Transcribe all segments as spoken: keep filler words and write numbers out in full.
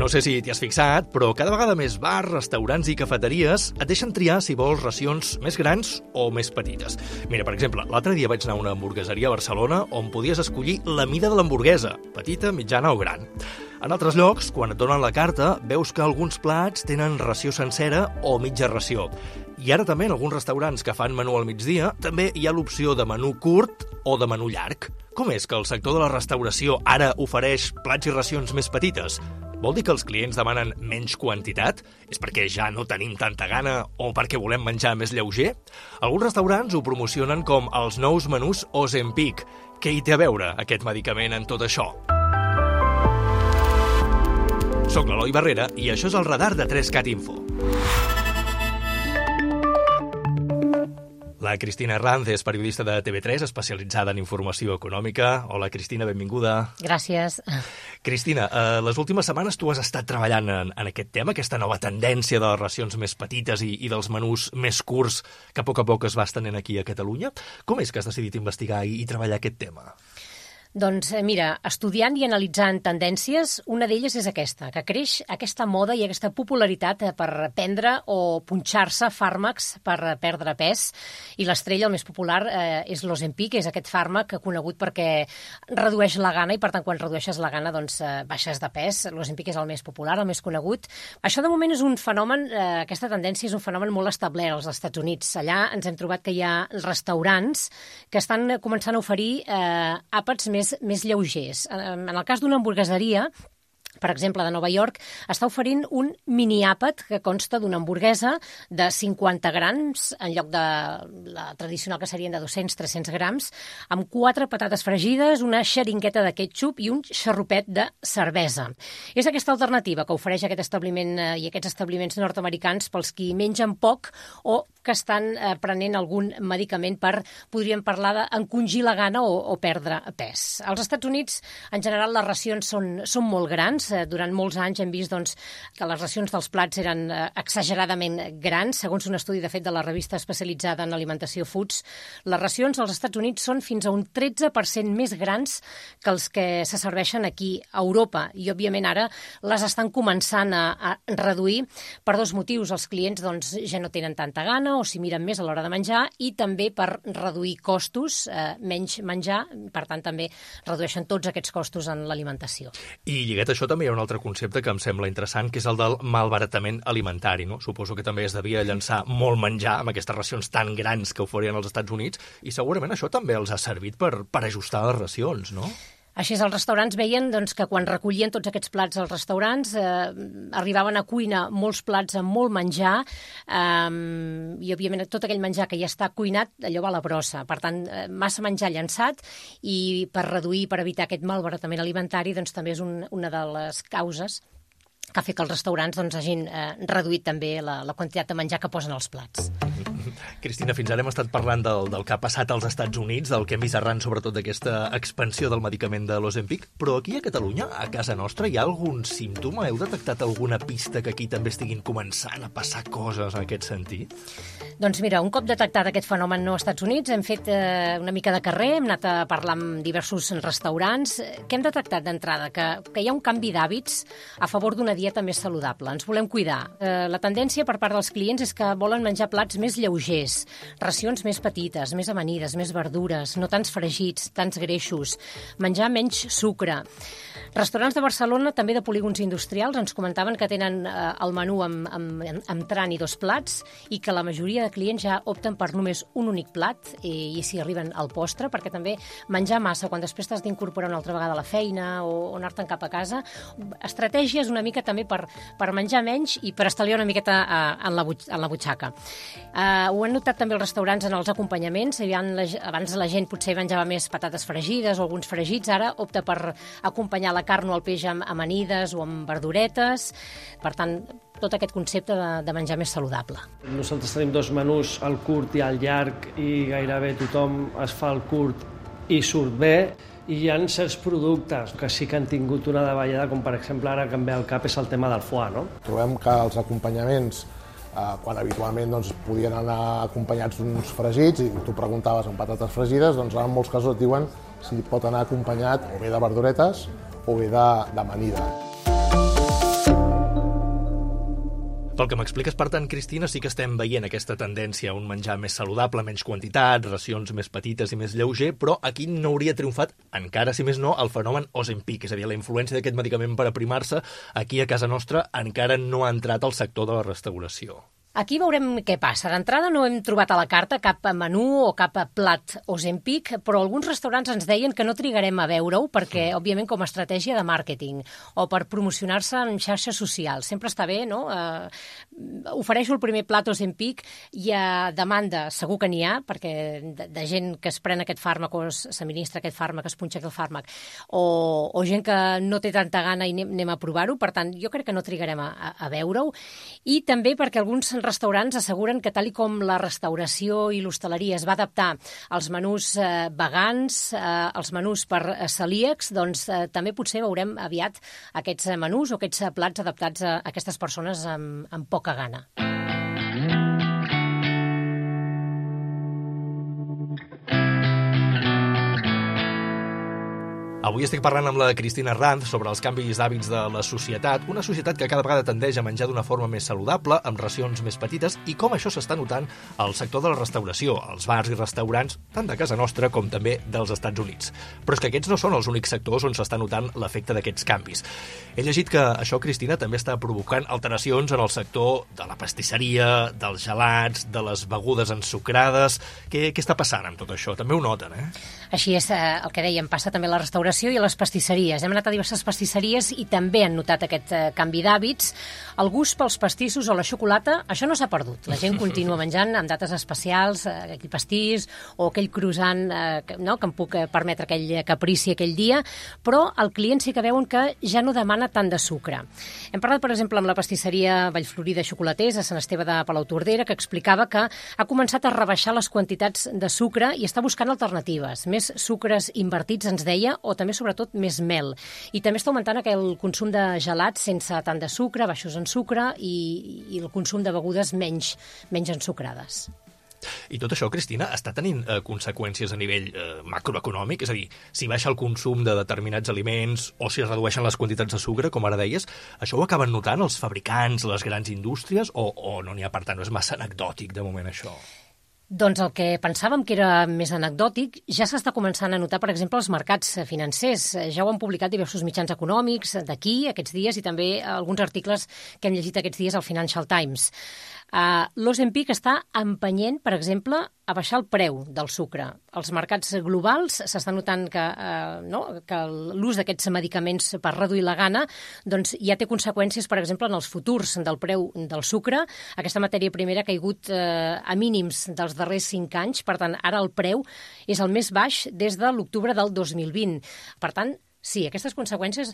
no sé si t'hi has fixat, però cada vegada més bars, restaurants i cafeteries et deixen triar si vols racions més grans o més petites. Mira, per exemple, l'altre dia vaig anar a una hamburgueseria a Barcelona on podies escollir la mida de l'hamburguesa, petita, mitjana o gran. En altres llocs, quan et donen la carta, veus que alguns plats tenen ració sencera o mitja ració. I ara també en alguns restaurants que fan menú al migdia també hi ha l'opció de menú curt o de menú llarg. Com és que el sector de la restauració ara ofereix plats i racions més petites? Vol dir que els clients demanen menys quantitat? És perquè ja no tenim tanta gana o perquè volem menjar més lleuger? Alguns restaurants ho promocionen com els nous menús Ozempic. Què hi té a veure aquest medicament en tot això? Soc l'Eloi Barrera i això és el radar de tres cat Info. La Cristina Herranz és periodista de T V tres, especialitzada en informació econòmica. Hola, Cristina, benvinguda. Gràcies. Cristina, eh, les últimes setmanes tu has estat treballant en, en aquest tema, aquesta nova tendència de les racions més petites i, i dels menús més curts que a poc a poc es va estenent aquí a Catalunya. Com és que has decidit investigar i, i treballar aquest tema? Doncs mira, estudiant i analitzant tendències, una d'elles és aquesta, que creix aquesta moda i aquesta popularitat per prendre o punxar-se fàrmacs per perdre pes. I l'estrella, el més popular, eh, és l'Ozempic, que és aquest fàrmac conegut perquè redueix la gana i, per tant, quan redueixes la gana, doncs, eh, baixes de pes. L'Ozempic és el més popular, el més conegut. Això, de moment, és un fenomen, eh, aquesta tendència és un fenomen molt establert als Estats Units. Allà ens hem trobat que hi ha restaurants que estan començant a oferir eh, àpats més més lleugers. En el cas d'una hamburgueseria, per exemple, de Nova York, està oferint un mini-àpat que consta d'una hamburguesa de cinquanta grams, en lloc de la tradicional que serien de dos-cents a tres-cents grams, amb quatre patates fregides, una xeringueta de ketchup i un xarrupet de cervesa. És aquesta alternativa que ofereix aquest establiment eh, i aquests establiments nord-americans pels qui mengen poc o que estan eh, prenent algun medicament per, podríem parlar d'encongir la gana o, o perdre pes. Als Estats Units, en general, les racions són, són molt grans. Durant molts anys hem vist doncs, que les racions dels plats eren eh, exageradament grans. Segons un estudi, de fet, de la revista especialitzada en alimentació Foods, les racions als Estats Units són fins a un tretze per cent més grans que els que se serveixen aquí a Europa. I, òbviament, ara les estan començant a, a reduir per dos motius. Els clients doncs, ja no tenen tanta gana o s'hi miren més a l'hora de menjar i també per reduir costos, eh, menys menjar, per tant, també redueixen tots aquests costos en l'alimentació. I lligat a això també hi ha un altre concepte que em sembla interessant, que és el del malbaratament alimentari, no? Suposo que també es devia llançar molt menjar amb aquestes racions tan grans que oferien als Estats Units i segurament això també els ha servit per, per ajustar les racions, no? Així és, els restaurants veien doncs, que quan recollien tots aquests plats als restaurants eh, arribaven a cuinar molts plats amb molt menjar eh, i, òbviament, tot aquell menjar que ja està cuinat, allò va a la brossa. Per tant, eh, massa menjar llançat i per reduir, per evitar aquest malbaratament alimentari, doncs, també és un, una de les causes que ha fet que els restaurants doncs, hagin eh, reduït també la, la quantitat de menjar que posen als plats. Cristina, fins ara hem estat parlant del, del que ha passat als Estats Units, del que hem vist arran sobretot d'aquesta expansió del medicament de l'Ozempic, però aquí a Catalunya, a casa nostra, hi ha algun símptoma? Heu detectat alguna pista que aquí també estiguin començant a passar coses en aquest sentit? Doncs mira, un cop detectat aquest fenomen no als Estats Units, hem fet eh, una mica de carrer, hem anat a parlar amb diversos restaurants. Què hem detectat d'entrada? Que, que hi ha un canvi d'hàbits a favor d'una dieta més saludable. Ens volem cuidar. Eh, la tendència per part dels clients és que volen menjar plats més lleugers, racions més petites, més amanides, més verdures, no tants fregits, tants greixos, menjar menys sucre. Restaurants de Barcelona, també de polígons industrials, ens comentaven que tenen eh, el menú amb, amb, amb tran i dos plats i que la majoria de clients ja opten per només un únic plat i, i s'hi arriben al postre, perquè també menjar massa quan després t'has d'incorporar una altra vegada a la feina o, o anar-te'n cap a casa. Estratègies una mica també per, per menjar menys i per estalviar una miqueta eh, en, la butx en la butxaca. Eh, ho han notat també els restaurants en els acompanyaments. Abans la gent potser menjava més patates fregides o alguns fregits, ara opta per acompanyar la carn o el peix amb amanides o amb verduretes. Per tant, tot aquest concepte de, de menjar més saludable. Nosaltres tenim dos menús, el curt i el llarg, i gairebé tothom es fa el curt i surt bé. I hi ha certs productes que sí que han tingut una davallada, com per exemple ara que em ve al cap és el tema del foie, no? Trobem que els acompanyaments, eh, quan habitualment doncs, podien anar acompanyats d'uns fregits, i tu preguntaves amb patates fregides, doncs en molts casos et diuen si pot anar acompanyat o bé de verduretes o bé d'amanida. Pel que m'expliques, per tant, Cristina, sí que estem veient aquesta tendència a un menjar més saludable, menys quantitat, racions més petites i més lleuger, però aquí no hauria triomfat, encara si més no, el fenomen Ozempic, és a dir, la influència d'aquest medicament per aprimar-se aquí a casa nostra encara no ha entrat al sector de la restauració. Aquí veurem què passa. D'entrada no hem trobat a la carta cap menú o cap plat Ozempic, però alguns restaurants ens deien que no trigarem a veure-ho perquè, òbviament, com a estratègia de màrqueting o per promocionar-se en xarxes socials. Sempre està bé, no? Eh, ofereixo el primer plat Ozempic i a demanda segur que n'hi ha, perquè de, de gent que es pren aquest fàrmac o s'administra aquest fàrmac, es punxa aquest fàrmac, o, o gent que no té tanta gana i anem, anem a provar-ho. Per tant, jo crec que no trigarem a, a, a veure-ho. I també perquè alguns restaurants asseguren que tal i com la restauració i l'hostaleria es va adaptar als menús eh, vegans, eh, als menús per eh, celíacs, doncs eh, també potser veurem aviat aquests eh, menús o aquests eh, plats adaptats a aquestes persones amb, amb poca gana. Avui estic parlant amb la Cristina Ranz sobre els canvis d'hàbits de la societat, una societat que cada vegada tendeix a menjar d'una forma més saludable, amb racions més petites, i com això s'està notant al sector de la restauració, als bars i restaurants, tant de casa nostra com també dels Estats Units. Però és que aquests no són els únics sectors on s'està notant l'efecte d'aquests canvis. He llegit que això, Cristina, també està provocant alteracions en el sector de la pastisseria, dels gelats, de les begudes ensucrades. Què, què està passant amb tot això? També ho noten, eh? Així és, eh, el que dèiem, passa també a la restauració i a les pastisseries. Hem anat a diverses pastisseries i també han notat aquest eh, canvi d'hàbits. El gust pels pastissos o la xocolata, això no s'ha perdut. La gent continua menjant amb dates especials, eh, aquell pastís o aquell croissant eh, que, no, que em puc eh, permetre aquell caprici aquell dia, però el client sí que veuen que ja no demana tant de sucre. Hem parlat, per exemple, amb la pastisseria Vallflorí de Xocolaters a Sant Esteve de Palautordera, que explicava que ha començat a rebaixar les quantitats de sucre i està buscant alternatives. Més sucres invertits, ens deia, o també, sobretot, més mel. I també està augmentant el consum de gelats sense tant de sucre, baixos en sucre, i, i el consum de begudes menys, menys ensucrades. I tot això, Cristina, està tenint eh, conseqüències a nivell eh, macroeconòmic? És a dir, si baixa el consum de determinats aliments o si es redueixen les quantitats de sucre, com ara deies, això ho acaben notant els fabricants, les grans indústries, o, o no n'hi ha, per tant, no és massa anecdòtic de moment això? Doncs el que pensàvem que era més anecdòtic ja s'està començant a notar, per exemple, als mercats financers. Ja ho han publicat diversos mitjans econòmics d'aquí aquests dies i també alguns articles que hem llegit aquests dies al Financial Times. Uh, L'Ozempic està empenyent, per exemple, a baixar el preu del sucre. Als mercats globals s'està notant que, uh, no, que l'ús d'aquests medicaments per reduir la gana doncs, ja té conseqüències, per exemple, en els futurs del preu del sucre. Aquesta matèria primera ha caigut uh, a mínims dels darrers cinc anys, per tant, ara el preu és el més baix des de l'octubre del dos mil vint. Per tant, sí, aquestes conseqüències,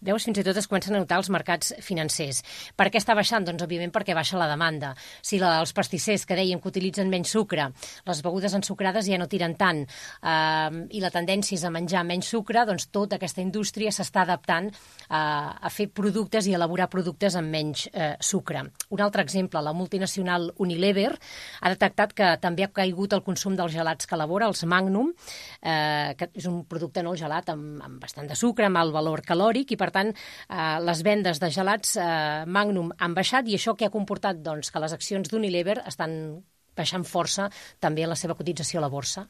veus, fins i tot es comencen a notar als mercats financers. Per què està baixant? Doncs, òbviament, perquè baixa la demanda. Si la, els pastissers que dèiem que utilitzen menys sucre, les begudes ensucrades ja no tiren tant, eh, i la tendència és a menjar menys sucre, doncs tota aquesta indústria s'està adaptant eh, a fer productes i elaborar productes amb menys eh, sucre. Un altre exemple, la multinacional Unilever ha detectat que també ha caigut el consum dels gelats que elabora, els Magnum, eh, que és un producte, no, gelat amb, amb bastant de sucre, amb alt valor calòric, i per tant eh, les vendes de gelats eh, Magnum han baixat, i això que ha comportat doncs, que les accions d'Unilever estan baixant força també la seva cotització a la borsa.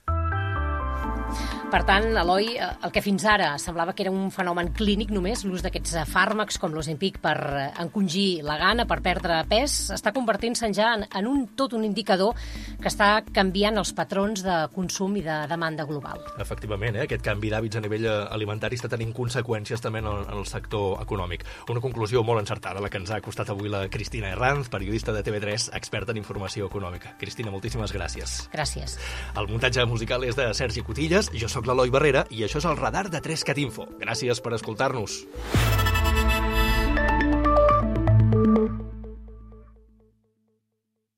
Per tant, Eloi, el que fins ara semblava que era un fenomen clínic només, l'ús d'aquests fàrmacs com l'Ozempic per encongir la gana, per perdre pes, està convertint-se ja en, en un, tot un indicador que està canviant els patrons de consum i de demanda global. Efectivament, eh? Aquest canvi d'hàbits a nivell alimentari està tenint conseqüències també en el, en el sector econòmic. Una conclusió molt encertada, la que ens ha costat avui la Cristina Ranz, periodista de T V tres, experta en informació econòmica. Cristina, moltíssimes gràcies. Gràcies. El muntatge musical és de Sergi Cotillas, jo sóc l'Eloi Barrera i això és el Radar de tres cat info. Gràcies per escoltar-nos.